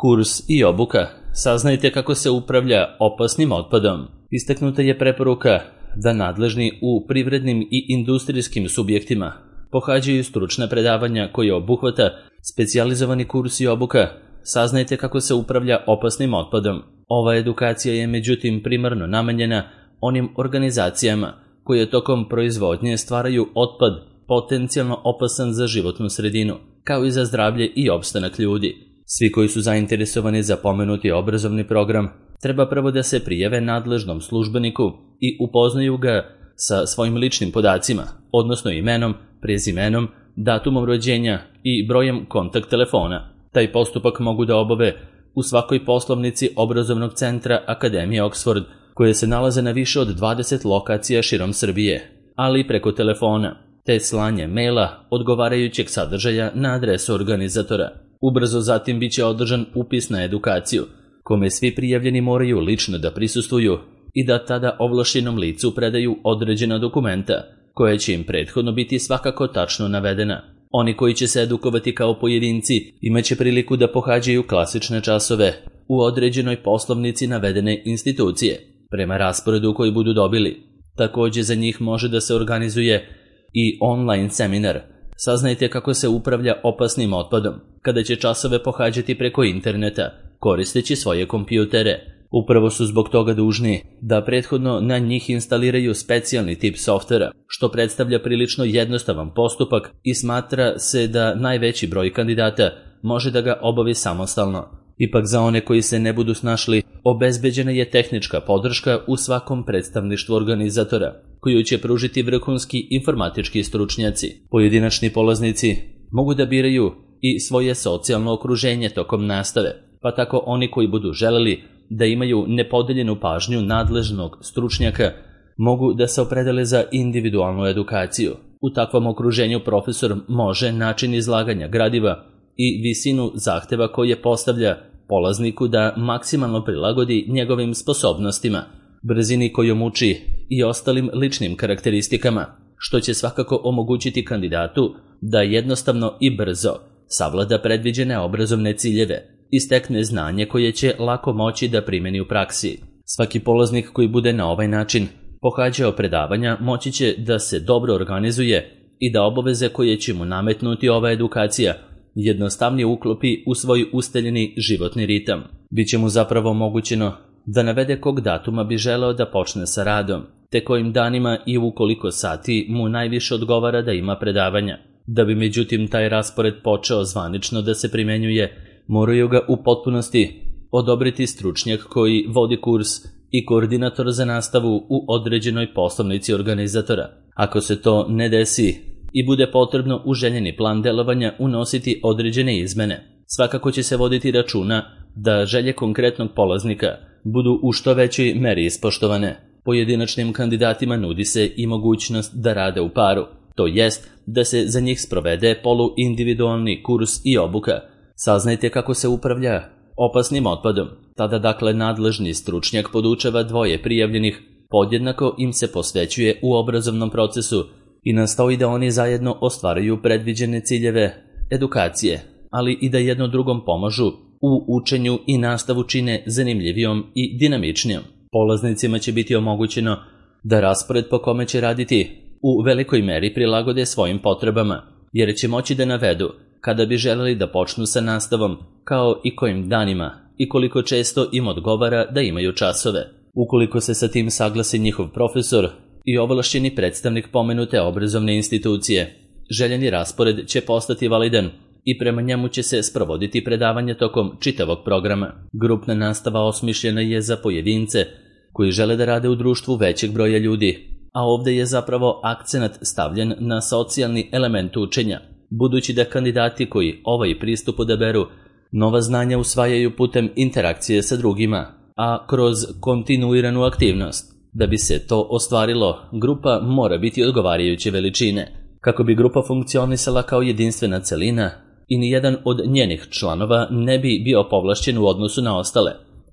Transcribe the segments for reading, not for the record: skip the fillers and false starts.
Kurs i obuka. Saznajte kako se upravlja opasnim otpadom. Istaknuta je preporuka da nadležni u privrednim i industrijskim subjektima pohađaju stručna predavanja koje obuhvata specijalizovani kurs i obuka. Saznajte kako se upravlja opasnim otpadom. Ova edukacija je međutim primarno namenjena onim organizacijama koje tokom proizvodnje stvaraju otpad potencijalno opasan za životnu sredinu, kao i za zdravlje i opstanak ljudi. Svi koji su zainteresovani za pomenuti obrazovni program treba prvo da se prijave nadležnom službeniku i upoznaju ga sa svojim ličnim podacima, odnosno imenom, prezimenom, datumom rođenja i brojem kontakt telefona. Taj postupak mogu da obave u svakoj poslovnici obrazovnog centra Akademije Oxford, koje se nalaze na više od 20 lokacija širom Srbije, ali i preko telefona, te slanje maila odgovarajućeg sadržaja na adresu organizatora. Ubrzo zatim biće održan upis na edukaciju, kome svi prijavljeni moraju lično da prisustvuju i da tada ovlašćenom licu predaju određena dokumenta, koja će im prethodno biti svakako tačno navedena. Oni koji će se edukovati kao pojedinci imaće priliku da pohađaju klasične časove u određenoj poslovnici navedene institucije, prema rasporedu koji budu dobili. Takođe za njih može da se organizuje i online seminar. Saznajte kako se upravlja opasnim otpadom, kada će časove pohađati preko interneta, koristeći svoje kompjutere. Upravo su zbog toga dužni da prethodno na njih instaliraju specijalni tip softvera, što predstavlja prilično jednostavan postupak i smatra se da najveći broj kandidata može da ga obavi samostalno. Ipak za one koji se ne budu snašli, obezbeđena je tehnička podrška u svakom predstavništvu organizatora, koju će pružiti vrhunski informatički stručnjaci. Pojedinačni polaznici mogu da biraju i svoje socijalno okruženje tokom nastave, pa tako oni koji budu želeli da imaju nepodeljenu pažnju nadležnog stručnjaka mogu da se opredele za individualnu edukaciju. U takvom okruženju profesor može način izlaganja gradiva i visinu zahteva koje postavlja polazniku da maksimalno prilagodi njegovim sposobnostima, brzini kojom uči i ostalim ličnim karakteristikama, što će svakako omogućiti kandidatu da jednostavno i brzo savlada predviđene obrazovne ciljeve i stekne znanje koje će lako moći da primeni u praksi. Svaki polaznik koji bude na ovaj način pohađao predavanja moći će da se dobro organizuje i da obaveze koje će mu nametnuti ova edukacija jednostavnije uklopi u svoj usteljeni životni ritam. Biće mu zapravo omogućeno da navede kog datuma bi želeo da počne sa radom, te kojim danima i u koliko sati mu najviše odgovara da ima predavanja. Da bi međutim taj raspored počeo zvanično da se primenjuje, moraju ga u potpunosti odobriti stručnjak koji vodi kurs i koordinator za nastavu u određenoj poslovnici organizatora. Ako se to ne desi i bude potrebno u željeni plan delovanja unositi određene izmene, svakako će se voditi računa da želje konkretnog polaznika budu u što većoj meri ispoštovane. Pojedinačnim kandidatima nudi se i mogućnost da rade u paru, to jest da se za njih sprovede poluindividualni kurs i obuka. Saznajte kako se upravlja opasnim otpadom. Tada dakle nadležni stručnjak podučava dvoje prijavljenih, podjednako im se posvećuje u obrazovnom procesu i nastoji da oni zajedno ostvaruju predviđene ciljeve edukacije, ali i da jedno drugom pomažu u učenju i nastavu čine zanimljivijom i dinamičnijom. Polaznicima će biti omogućeno da raspored po kome će raditi u velikoj meri prilagode svojim potrebama, jer će moći da navedu kada bi želeli da počnu sa nastavom, kao i kojim danima i koliko često im odgovara da imaju časove. Ukoliko se sa tim saglasi njihov profesor i ovlašćeni predstavnik pomenute obrazovne institucije, željeni raspored će postati validan i prema njemu će se sprovoditi predavanje tokom čitavog programa. Grupna nastava osmišljena je za pojedince koji žele da rade u društvu većeg broja ljudi, a ovde je zapravo akcenat stavljen na socijalni element učenja, budući da kandidati koji ovaj pristup odaberu nova znanja usvajaju putem interakcije sa drugima, a kroz kontinuiranu aktivnost. Da bi se to ostvarilo, grupa mora biti odgovarajuće veličine, kako bi grupa funkcionisala kao jedinstvena celina i nijedan od njenih članova ne bi bio povlašćen u odnosu na ostale.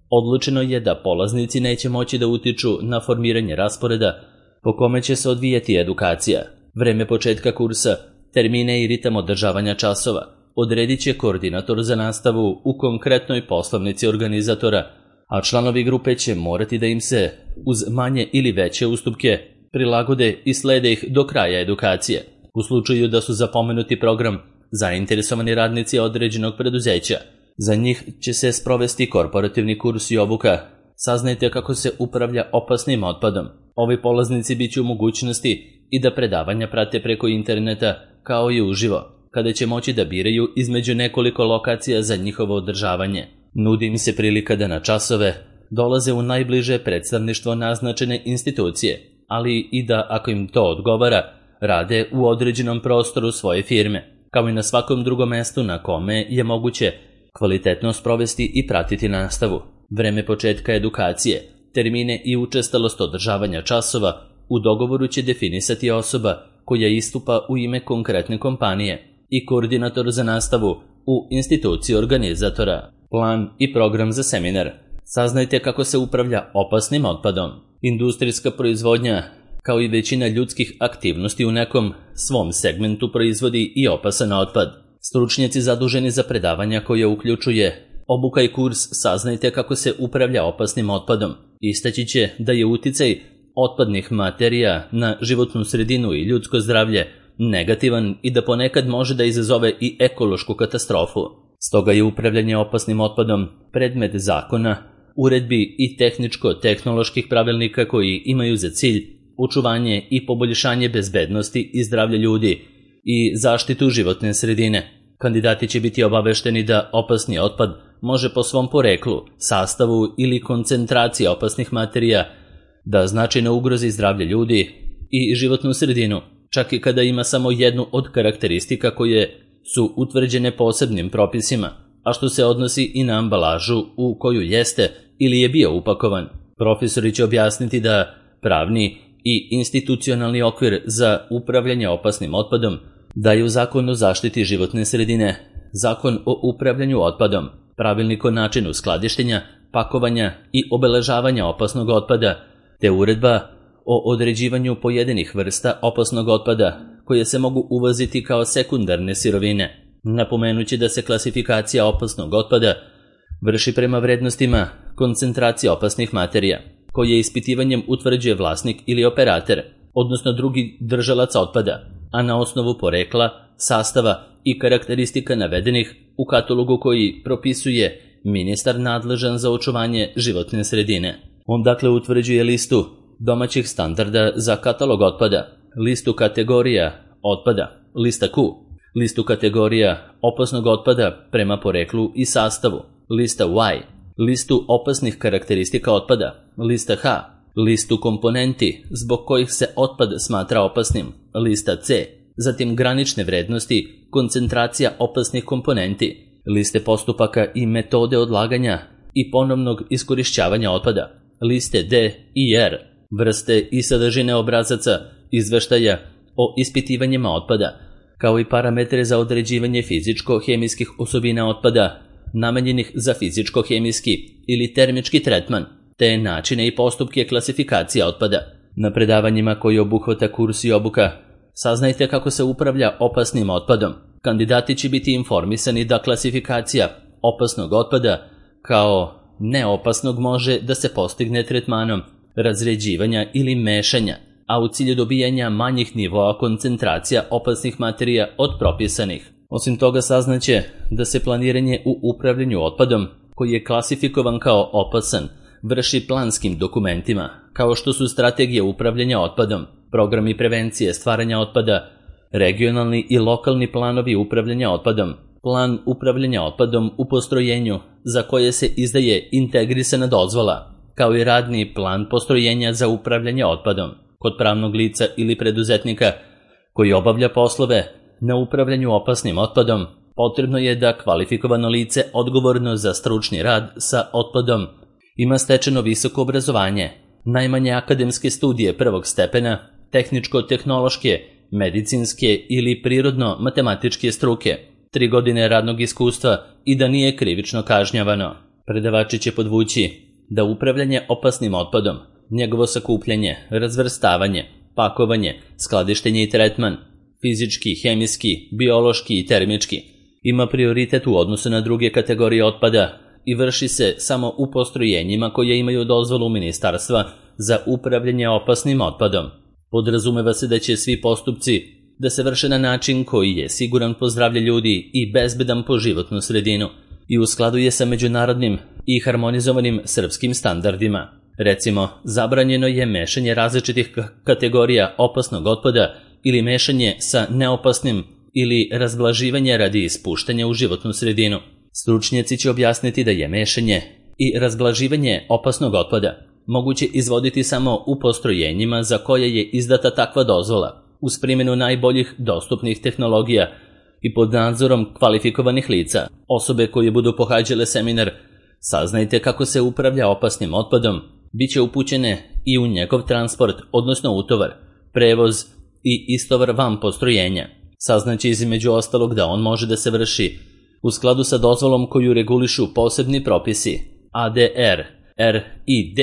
Odlučeno je da polaznici neće moći da utiču na formiranje rasporeda po kome će se odvijati edukacija, vreme početka kursa, termine i ritam održavanja časova, odredit će koordinator za nastavu u konkretnoj poslovnici organizatora, a članovi grupe će morati da im se, uz manje ili veće ustupke, prilagode i slede ih do kraja edukacije. U slučaju da su za pomenuti program zainteresovani radnici određenog preduzeća, za njih će se sprovesti korporativni kurs i obuka. Saznajte kako se upravlja opasnim otpadom. Ovi polaznici bit će u mogućnosti i da predavanja prate preko interneta kao i uživo, kada će moći da biraju između nekoliko lokacija za njihovo održavanje. Nudi im se prilika da na časove dolaze u najbliže predstavništvo naznačene institucije, ali i da, ako im to odgovara, rade u određenom prostoru svoje firme, kao i na svakom drugom mestu na kome je moguće kvalitetno sprovesti i pratiti nastavu. Vreme početka edukacije, termine i učestalost održavanja časova u dogovoru će definisati osoba koja istupa u ime konkretne kompanije i koordinator za nastavu u instituciji organizatora. Plan i program za seminar. Saznajte kako se upravlja opasnim otpadom. Industrijska proizvodnja, kao i većina ljudskih aktivnosti u nekom svom segmentu, proizvodi i opasan otpad. Stručnjaci zaduženi za predavanja koje uključuje obuka i kurs Saznajte kako se upravlja opasnim otpadom istaći će da je uticaj otpadnih materija na životnu sredinu i ljudsko zdravlje negativan i da ponekad može da izazove i ekološku katastrofu. Stoga je upravljanje opasnim otpadom predmet zakona, uredbi i tehničko-tehnoloških pravilnika koji imaju za cilj očuvanje i poboljšanje bezbednosti i zdravlja ljudi i zaštitu životne sredine. Kandidati će biti obavešteni da opasni otpad može po svom poreklu, sastavu ili koncentraciji opasnih materija da značajno ugrozi zdravlje ljudi i životnu sredinu, čak i kada ima samo jednu od karakteristika koje su utvrđene posebnim propisima, a što se odnosi i na ambalažu u koju jeste ili je bio upakovan. Profesori će objasniti da pravni i institucionalni okvir za upravljanje opasnim otpadom daju Zakon o zaštiti životne sredine, Zakon o upravljanju otpadom, Pravilnik o načinu skladištenja, pakovanja i obeležavanja opasnog otpada, te Uredba o određivanju pojedinih vrsta opasnog otpada koje se mogu uvoziti kao sekundarne sirovine. Napomenući da se klasifikacija opasnog otpada vrši prema vrednostima koncentracije opasnih materija, koje ispitivanjem utvrđuje vlasnik ili operater, odnosno drugi držalac otpada, a na osnovu porekla, sastava i karakteristika navedenih u katalogu koji propisuje ministar nadležan za očuvanje životne sredine. On dakle utvrđuje listu domaćih standarda za katalog otpada, listu kategorija otpada, lista Q, listu kategorija opasnog otpada prema poreklu i sastavu, lista Y, listu opasnih karakteristika otpada, lista H, listu komponenti zbog kojih se otpad smatra opasnim, lista C, zatim granične vrednosti, koncentracija opasnih komponenti, liste postupaka i metode odlaganja i ponovnog iskorišćavanja otpada, liste D i R, vrste i sadržine obrazaca izveštaja o ispitivanjima otpada, kao i parametre za određivanje fizičko-hemijskih osobina otpada namenjenih za fizičko-hemijski ili termički tretman, te načine i postupke klasifikacije otpada. Na predavanjima koji obuhvata kurs i obuka Saznajte kako se upravlja opasnim otpadom. Kandidati će biti informisani da klasifikacija opasnog otpada kao neopasnog može da se postigne tretmanom razređivanja ili mešanja, a u cilju dobijanja manjih nivoa koncentracija opasnih materija od propisanih. Osim toga saznaće da se planiranje u upravljanju otpadom, koji je klasifikovan kao opasan, vrši planskim dokumentima, kao što su strategije upravljanja otpadom, programi prevencije stvaranja otpada, regionalni i lokalni planovi upravljanja otpadom, plan upravljanja otpadom u postrojenju za koje se izdaje integrisana dozvola, kao i radni plan postrojenja za upravljanje otpadom kod pravnog lica ili preduzetnika koji obavlja poslove na upravljanju opasnim otpadom. Potrebno je da kvalifikovano lice odgovorno za stručni rad sa otpadom ima stečeno visoko obrazovanje, najmanje akademske studije prvog stepena, tehničko-tehnološke, medicinske ili prirodno-matematičke struke, 3 godine radnog iskustva i da nije krivično kažnjavano. Predavači će podvući da upravljanje opasnim otpadom, njegovo sakupljanje, razvrstavanje, pakovanje, skladištenje i tretman, fizički, hemijski, biološki i termički, ima prioritet u odnosu na druge kategorije otpada i vrši se samo u postrojenjima koje imaju dozvolu ministarstva za upravljanje opasnim otpadom. Podrazumeva se da će svi postupci da se vrše na način koji je siguran po zdravlje ljudi i bezbedan po životnu sredinu i u skladu je sa međunarodnim i harmonizovanim srpskim standardima. Recimo, zabranjeno je mešanje različitih kategorija opasnog otpada ili mešanje sa neopasnim ili razblaživanje radi ispuštanja u životnu sredinu. Stručnjaci će objasniti da je mešanje i razblaživanje opasnog otpada moguće izvoditi samo u postrojenjima za koje je izdata takva dozvola, uz primjenu najboljih dostupnih tehnologija i pod nadzorom kvalifikovanih lica. Osobe koje budu pohađale seminar Saznajte kako se upravlja opasnim otpadom, bit će upućene i u njegov transport, odnosno utovar, prevoz i istovar van postrojenja. Saznaće između ostalog da on može da se vrši u skladu sa dozvolom koju regulišu posebni propisi ADR, RID,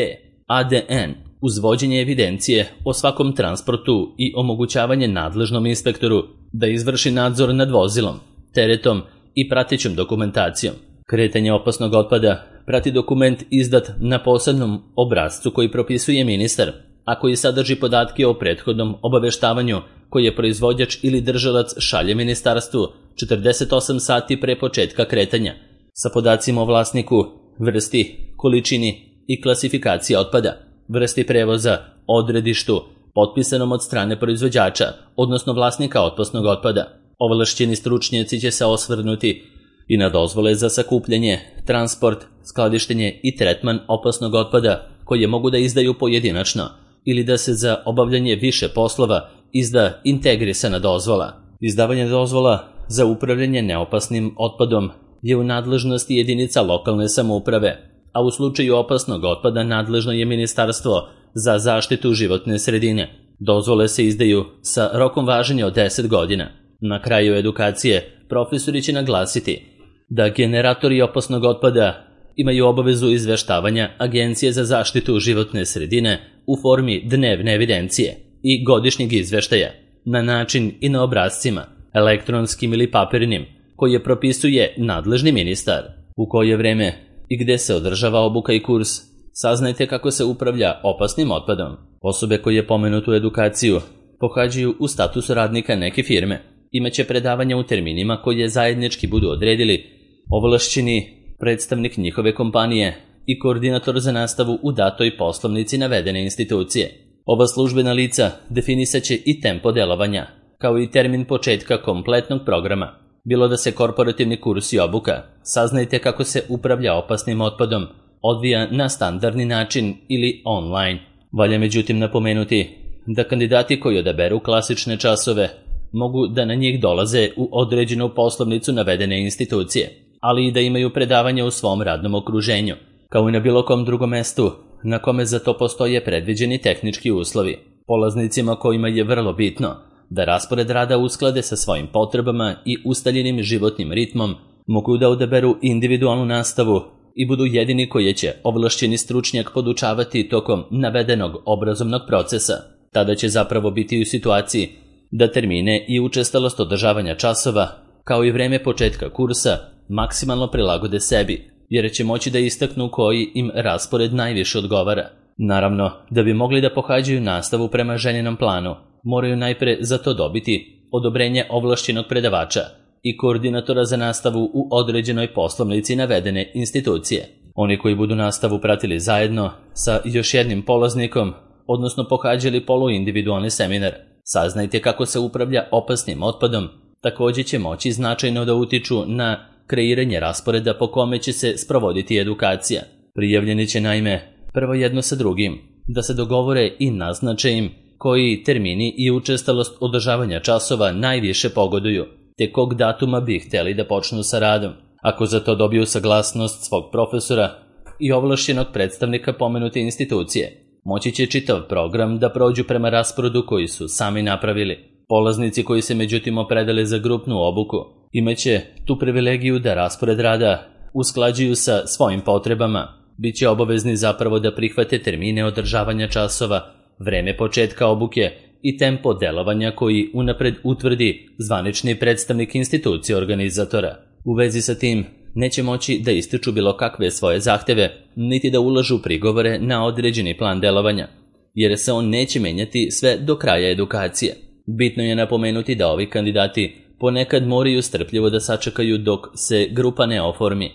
ADN, uz vođenje evidencije o svakom transportu i omogućavanje nadležnom inspektoru da izvrši nadzor nad vozilom, teretom i pratećom dokumentacijom. Kretanje opasnog otpada prati dokument izdat na posebnom obrascu koji propisuje ministar, a koji sadrži podatke o prethodnom obaveštavanju koje proizvođač ili držalac šalje ministarstvu 48 sati pre početka kretanja, sa podacima o vlasniku, vrsti, količini i klasifikaciji otpada, vrsti prevoza, odredištu, potpisanom od strane proizvođača, odnosno vlasnika opasnog otpada. Ovlašćeni stručnjaci će se osvrnuti i na dozvole za sakupljanje, transport, skladištenje i tretman opasnog otpada koje mogu da izdaju pojedinačno ili da se za obavljanje više poslova izda integrisana dozvola. Izdavanje dozvola za upravljanje neopasnim otpadom je u nadležnosti jedinica lokalne samouprave, a u slučaju opasnog otpada nadležno je Ministarstvo za zaštitu životne sredine. Dozvole se izdaju sa rokom važenja od 10 godina. Na kraju edukacije profesori će naglasiti da generatori opasnog otpada imaju obavezu izveštavanja Agencije za zaštitu životne sredine u formi dnevne evidencije i godišnjeg izveštaja, na način i na obrascima, elektronskim ili papirnim, koje propisuje nadležni ministar. U koje vreme i gde se održava obuka i kurs, saznajte kako se upravlja opasnim otpadom. Osobe koje pomenutu edukaciju pohađaju u statusu radnika neke firme, imaće predavanja u terminima koje zajednički budu odredili ovlašćeni predstavnik njihove kompanije i koordinator za nastavu u datoj poslovnici navedene institucije. Ova službena lica definisaće i tempo delovanja, kao i termin početka kompletnog programa. Bilo da se korporativni kurs i obuka, saznajte kako se upravlja opasnim otpadom, odvija na standardni način ili online. Valja međutim napomenuti da kandidati koji odaberu klasične časove mogu da na njih dolaze u određenu poslovnicu navedene institucije, ali i da imaju predavanja u svom radnom okruženju, kao i na bilo kom drugom mestu na kome za to postoje predviđeni tehnički uslovi. Polaznicima kojima je vrlo bitno da raspored rada usklade sa svojim potrebama i ustaljenim životnim ritmom, mogu da odaberu individualnu nastavu i budu jedini koji će ovlašćeni stručnjak podučavati tokom navedenog obrazovnog procesa. Tada će zapravo biti u situaciji da termine i učestalost održavanja časova, kao i vreme početka kursa, maksimalno prilagode sebi, jer će moći da istaknu koji im raspored najviše odgovara. Naravno, da bi mogli da pohađaju nastavu prema željenom planu, moraju najpre za to dobiti odobrenje ovlašćenog predavača i koordinatora za nastavu u određenoj poslovnici navedene institucije. Oni koji budu nastavu pratili zajedno sa još jednim polaznikom, odnosno pohađali poluindividualni seminar, saznajte kako se upravlja opasnim otpadom, također će moći značajno da utiču na kreiranje rasporeda po kome će se sprovoditi edukacija. Prijavljeni će naime prvo jedno sa drugim da se dogovore i naznače im koji termini i učestalost održavanja časova najviše pogoduju, te kog datuma bi hteli da počnu sa radom. Ako za to dobiju saglasnost svog profesora i ovlašćenog predstavnika pomenute institucije, moći će čitav program da prođu prema rasporedu koji su sami napravili. Polaznici koji se međutim opredele za grupnu obuku imaće tu privilegiju da raspored rada usklađuju sa svojim potrebama. Biće obavezni zapravo da prihvate termine održavanja časova, vreme početka obuke i tempo delovanja koji unapred utvrdi zvanični predstavnik institucije organizatora. U vezi sa tim neće moći da ističu bilo kakve svoje zahteve, niti da ulažu prigovore na određeni plan delovanja, jer se on neće menjati sve do kraja edukacije. Bitno je napomenuti da ovi kandidati ponekad moraju strpljivo da sačekaju dok se grupa ne oformi,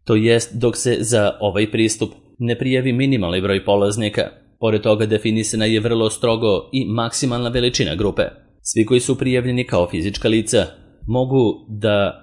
to jest dok se za ovaj pristup ne prijavi minimalni broj polaznika. Pored toga definisana je vrlo strogo i maksimalna veličina grupe. Svi koji su prijavljeni kao fizička lica mogu da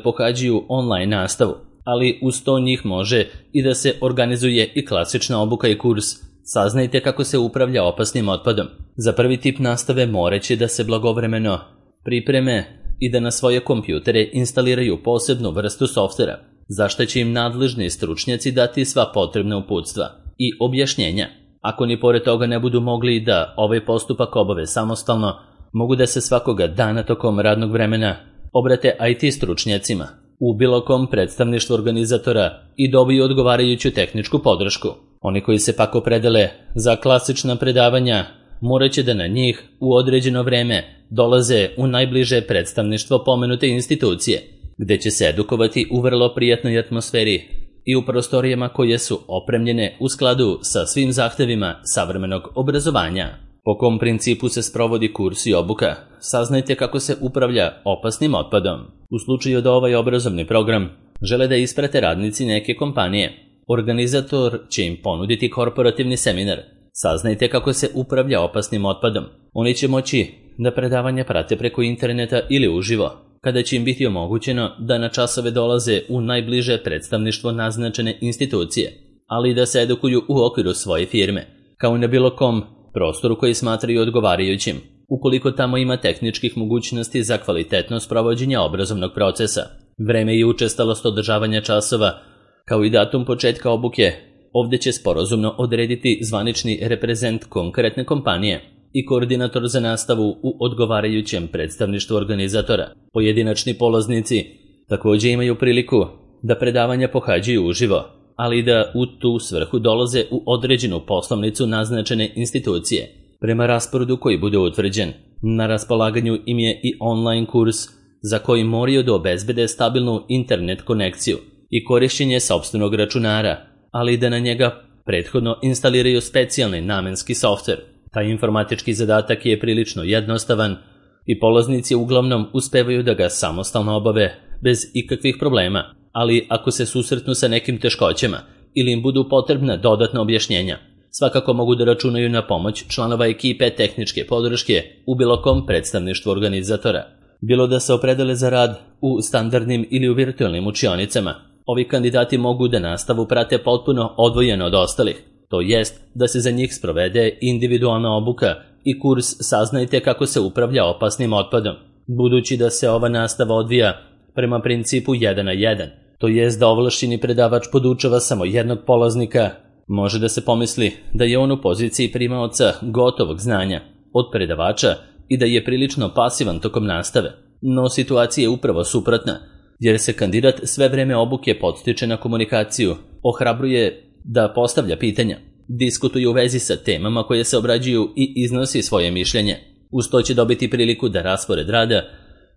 pohađaju online nastavu, ali uz to njih može i da se organizuje i klasična obuka i kurs Saznajte kako se upravlja opasnim otpadom. Za prvi tip nastave moraće da se blagovremeno pripreme i da na svoje kompjutere instaliraju posebnu vrstu softvera, za što će im nadležni stručnjaci dati sva potrebna uputstva i objašnjenja. Ako ni pored toga ne budu mogli da ovaj postupak obave samostalno, mogu da se svakoga dana tokom radnog vremena obrate IT stručnjacima u bilo kom predstavništvu organizatora i dobiju odgovarajuću tehničku podršku. Oni koji se pak opredele za klasična predavanja moraće da na njih u određeno vreme dolaze u najbliže predstavništvo pomenute institucije, gde će se edukovati u vrlo prijatnoj atmosferi i u prostorijama koje su opremljene u skladu sa svim zahtevima savremenog obrazovanja. Po kom principu se sprovodi kurs i obuka? Saznajte kako se upravlja opasnim otpadom. U slučaju da ovaj obrazovni program žele da isprate radnici neke kompanije, organizator će im ponuditi korporativni seminar. Saznajte kako se upravlja opasnim otpadom. Oni će moći da predavanja prate preko interneta ili uživo, kada će im biti omogućeno da na časove dolaze u najbliže predstavništvo naznačene institucije, ali i da se edukuju u okviru svoje firme, kao i na bilo kom prostoru koji smatraju odgovarajućim, ukoliko tamo ima tehničkih mogućnosti za kvalitetno sprovođenje obrazovnog procesa. Vreme i učestalost održavanja časova, kao i datum početka obuke, ovdje će sporazumno odrediti zvanični reprezent konkretne kompanije i koordinator za nastavu u odgovarajućem predstavništvu organizatora. Pojedinačni polaznici također imaju priliku da predavanja pohađaju uživo, ali da u tu svrhu dolaze u određenu poslovnicu naznačene institucije. Prema rasporedu koji bude utvrđen, na raspolaganju im je i online kurs za koji moraju da obezbede stabilnu internet konekciju i korišćenje sopstvenog računara, ali da na njega prethodno instaliraju specijalni namenski softver. Taj informatički zadatak je prilično jednostavan i polaznici uglavnom uspevaju da ga samostalno obave bez ikakvih problema, ali ako se susretnu sa nekim teškoćama ili im budu potrebna dodatna objašnjenja, svakako mogu da računaju na pomoć članova ekipe tehničke podrške u bilo kom predstavništvu organizatora. Bilo da se opredele za rad u standardnim ili u virtualnim učionicama, ovi kandidati mogu da nastavu prate potpuno odvojeno od ostalih, to jest da se za njih sprovede individualna obuka i kurs Saznajte kako se upravlja opasnim otpadom. Budući da se ova nastava odvija prema principu 1 na 1, to jest da ovlašćeni predavač podučava samo jednog polaznika, može da se pomisli da je on u poziciji primaoca gotovog znanja od predavača i da je prilično pasivan tokom nastave. No situacija je upravo suprotna, jer se kandidat sve vreme obuke podstiče na komunikaciju, ohrabruje da postavlja pitanja, diskutuje u vezi sa temama koje se obrađuju i iznosi svoje mišljenje. Uz to će dobiti priliku da raspored rada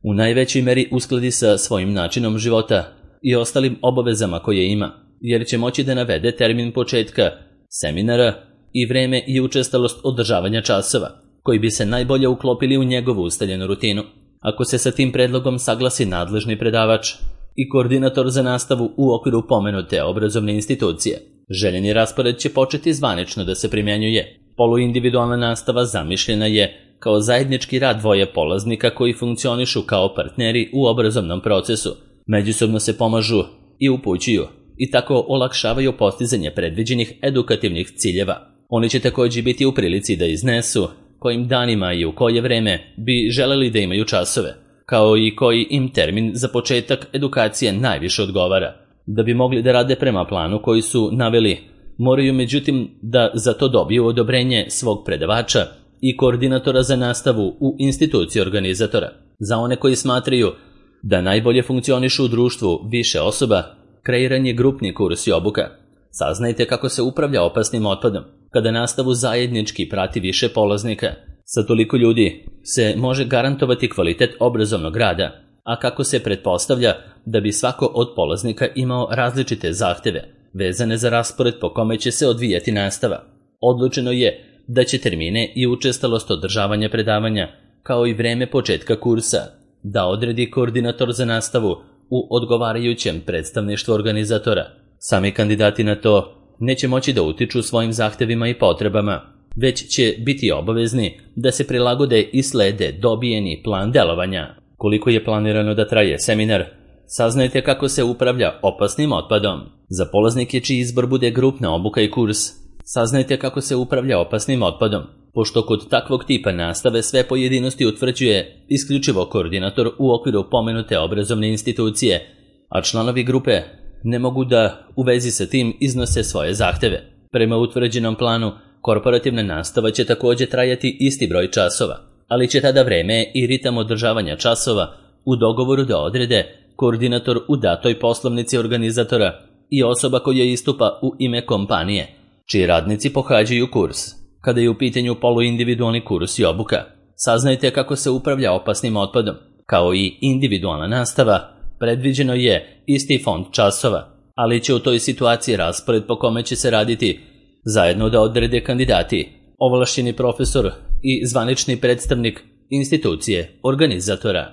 u najvećoj meri uskladi sa svojim načinom života i ostalim obavezama koje ima, jer će moći da navede termin početka seminara i vreme i učestalost održavanja časova, koji bi se najbolje uklopili u njegovu ustaljenu rutinu. Ako se sa tim predlogom saglasi nadležni predavač i koordinator za nastavu u okviru pomenute obrazovne institucije, željeni raspored će početi zvanično da se primjenjuje. Poluindividualna nastava zamišljena je kao zajednički rad dvoje polaznika koji funkcionišu kao partneri u obrazovnom procesu, međusobno se pomažu i upućuju i tako olakšavaju postizanje predviđenih edukativnih ciljeva. Oni će također biti u prilici da iznesu kojim danima i u koje vreme bi želeli da imaju časove, kao i koji im termin za početak edukacije najviše odgovara. Da bi mogli da rade prema planu koji su naveli, moraju međutim da za to dobiju odobrenje svog predavača i koordinatora za nastavu u instituciji organizatora. Za one koji smatraju da najbolje funkcionišu u društvu više osoba, kreiran je grupni kurs i obuka. Saznajte kako se upravlja opasnim otpadom. Kada nastavu zajednički prati više polaznika, sa toliko ljudi se može garantovati kvalitet obrazovnog rada, a kako se pretpostavlja da bi svako od polaznika imao različite zahteve, vezane za raspored po kome će se odvijati nastava. Odlučeno je da će termine i učestalost održavanja predavanja, kao i vreme početka kursa, da odredi koordinator za nastavu u odgovarajućem predstavništvu organizatora. Sami kandidati na to neće moći da utiču svojim zahtevima i potrebama, već će biti obavezni da se prilagode i slede dobijeni plan delovanja. Koliko je planirano da traje seminar, saznajte kako se upravlja opasnim otpadom. Za polaznike čiji izbor bude grupna obuka i kurs, saznajte kako se upravlja opasnim otpadom, pošto kod takvog tipa nastave sve pojedinosti utvrđuje isključivo koordinator u okviru pomenute obrazovne institucije, a članovi grupe ne mogu da u vezi sa tim iznose svoje zahteve. Prema utvrđenom planu, korporativna nastava će također trajati isti broj časova, ali će tada vreme i ritam održavanja časova u dogovoru da odrede koordinator u datoj poslovnici organizatora i osoba koja istupa u ime kompanije, čiji radnici pohađaju kurs. Kada je u pitanju poluindividualni kurs i obuka, saznajte kako se upravlja opasnim otpadom. Kao i individualna nastava, predviđeno je isti fond časova, ali će u toj situaciji raspored po kome će se raditi zajedno da odrede kandidati, ovlašćeni profesor i zvanični predstavnik institucije organizatora.